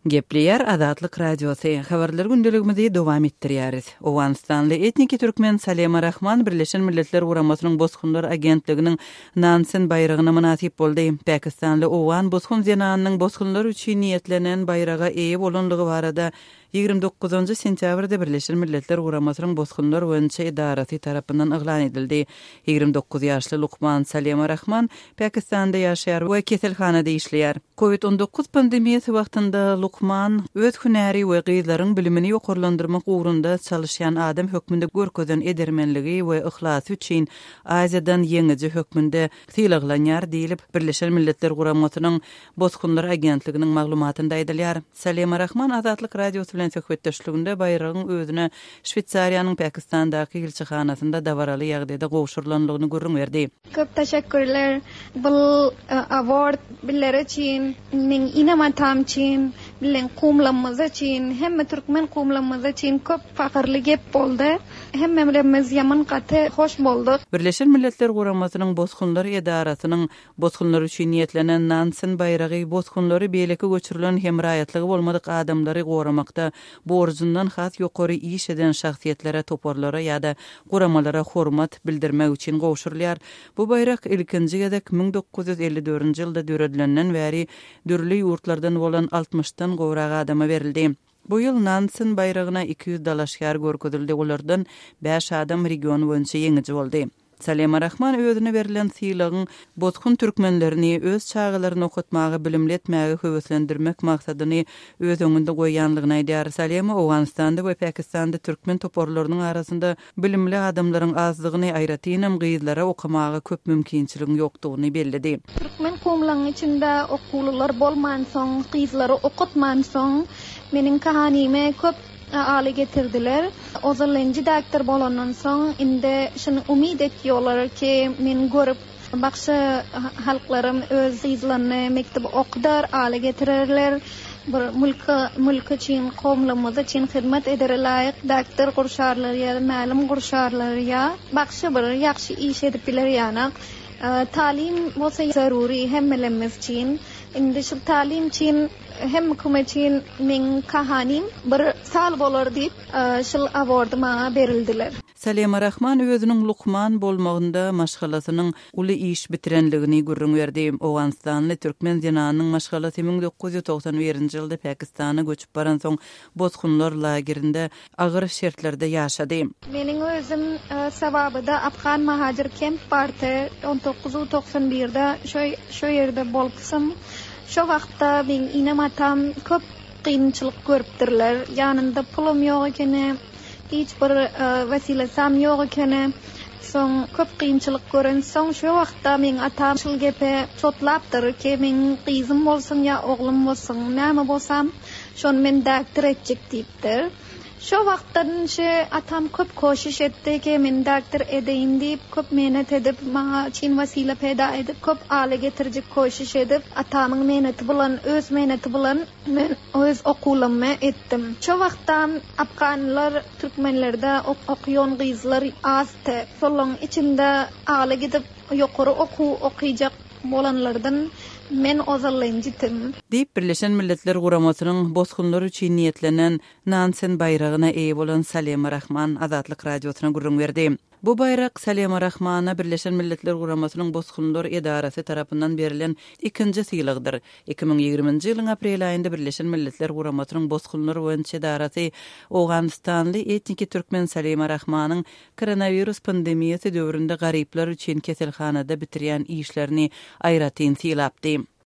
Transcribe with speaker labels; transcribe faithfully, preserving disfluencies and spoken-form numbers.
Speaker 1: Gepleýär Azatlyk Radiosy. Habarlar gündeligimizi dowam etdirýäris. Owganystanly etniki türkmen Salema Rahman Birleşen Milletler Guramasynyň Bosgunlar agentliginiň Nansen baýragyna mynasyp boldy. Pakistanly owgan bosgun zenanynyň bosgunlar üçin niýetlenen baýraga eýe bolanlygy barada ýigrimi dokuzynjy sentýabrda Birleşen Milletler Guramasynyň Bosgunlar boýunça edarasy tarapyndan yglan edildi. Ýigrimi dokuz ýaşly lukman Salema Rahman Pakistanda ýaşaýar we keselhanada işleýär. Covid on dokuz pandemiýasy wagtynda lukman öz hünäri we gyzlaryň bilimini ýokarlandyrmak ugrunda çalyşýan adam hökmünde görkezen edermenligi we yhlasy üçin Aziýadan ýeňiji hökmünde sylaglanýar diýlip, Birleşen Milletler Guramasynyň Bosgunlar agentliginiň maglumatynda aýdylýar. Salema Rahman Azatlyk Radiosy bilen söhbetdeşliginde baýragyň özüne Şweýsariýanyň Pakistandaky ilçihanasynda dabaraly ýagdaýda gowşurylanlygyny gürrüň berdi.
Speaker 2: Köp teşekkürler. Bu award biller üçin, meň inem-atam üçin, bilen kumlamyz üçin, hemme türkmen kumlamyz üçin köp fahyrly gep boldy. Hemmelerimiz ýaman gaty hoş bolduk.
Speaker 1: Birleşen Milletler Guramasynyň Bosgunlar edarasynyň bosgunlar üçin niýetlenen Nansen baýragy bosgunlary beýleki göçürilen hem raýatlygy bolmadyk adamlary goramakda borjundan has ýokary iş eden şahsyýetlere, toparlara ýa-da guramalara hormat bildirmek üçin gowşurylýar. Bu baýrak ilkinji gezek müň dokuz ýüz elli dördünji ýylda döredilenden bäri dürli ýurtlardan bolan altmyşdan gowrak adama berildi. Bu ýyl Nansen baýragyna iki ýüz dalaşgär görkezildi, olardan bäş adam region boýunça ýeňiji boldy. Salema Rahman özüne berlen sylagyň bosgun türkmenlerini öz çagalaryny okatmaga, bilimli etmäge höweslendirmek maksadyny öz öňünde goýýanlygyny aýdýar. Salema Owganystanda we Pakistanda türkmen toparlarynyň arasynda bilimli adamlaryň azdygyny, aýratynam gyzlara okamaga köp mümkinçiligiň ýokdugyny belledi.
Speaker 2: Türkmen kumlaryň içinde okuwlylar bolmansoň, gyzlary okatmansoň, meniň kahanime köp aly getirdiler. Ozalynjy doktor bolandan soň indi şuny umyt etýärler ki, men görüp başga halklarym öz gyzlaryny mekdep okudar, aly getirerler. Bir mülke, mülk üçin, kowumlarymyz üçin hyzmat eder laýyk doktor gurşarlar ýa mälim gurşarlar ýa başga bir ýagşy iş edip biler ýanak. E, talim bolsa zaruri hemmelerimiz üçin. Indi şu talim üçin hem hükümet üçin meň kahanim bir sal bolar diýip, e, şul awardy maňa berildiler.
Speaker 1: Salema Rahman özüniň lukman bolmagynda maşgalasynyň uly iş bitirenligini gürrüň berdi. Owganystanly türkmen zenanynyň maşgalasy müň dokuz ýüz togsan birinji ýylda Pakistana göçüp baransoň bosgunlar lagerinde agyr şertlerde ýaşady.
Speaker 2: Meniň özüm, e, Sawabyda Afgan Mahajir Kemp bardy. on dokuz ýüz togsan birde şo, şo ýerde bolupsym. Şo wagtda meň inem atam köp kynçylyk görüpdirler. Ýanynda pulum ýok ekeni, hiç bir, e, wesilesam ýok ekeni. Soň köp kynçylyk gören soň şo wagtda meň atam şul gepe çotlapdyr ki meň gyzym bolsun ýa oglum bolsun, näme bolsam şony men doktor etjek diýipdir. Şo wagtdan şe atam köp koşiş etdi ki men doktor edeýin diýip, köp mehnat edip, maňa çyn wesile peýda edip, köp aly getirjek koşiş edip, atamyň mehnati bilen, öz mehnati bilen men öz okuwlarymy etdim. Şo wagtda afganlar türkmenlerde ok-, okuýan gyzlar azdy. Şolaryň içinde aly gidip ýokary okuw okuyjak bolanlardan men ozalynjytym.
Speaker 1: Diýip Birleşen Milletler Guramasynyň bosgunlar üçin niýetlenen Nansen baýragyna eýe bolan Salema Rahman Azatlyk Radiosyna gürrüň berdi. Bu baýrak Salema Rahmana Birleşen Milletler Guramasynyň bosgunlar edarasy tarapyndan berlen ikinji sylagdyr. Iki müň ýigriminji ýylyň aprel aýynda Birleşen Milletler Guramasynyň bosgunlar boýunça edarasy Owganystanly etniki türkmen Salema Rahmanyň koronawirus pandemiýasy döwründe garyplar üçin keselhanada bitirýän işlerini aýratyn sylapdy.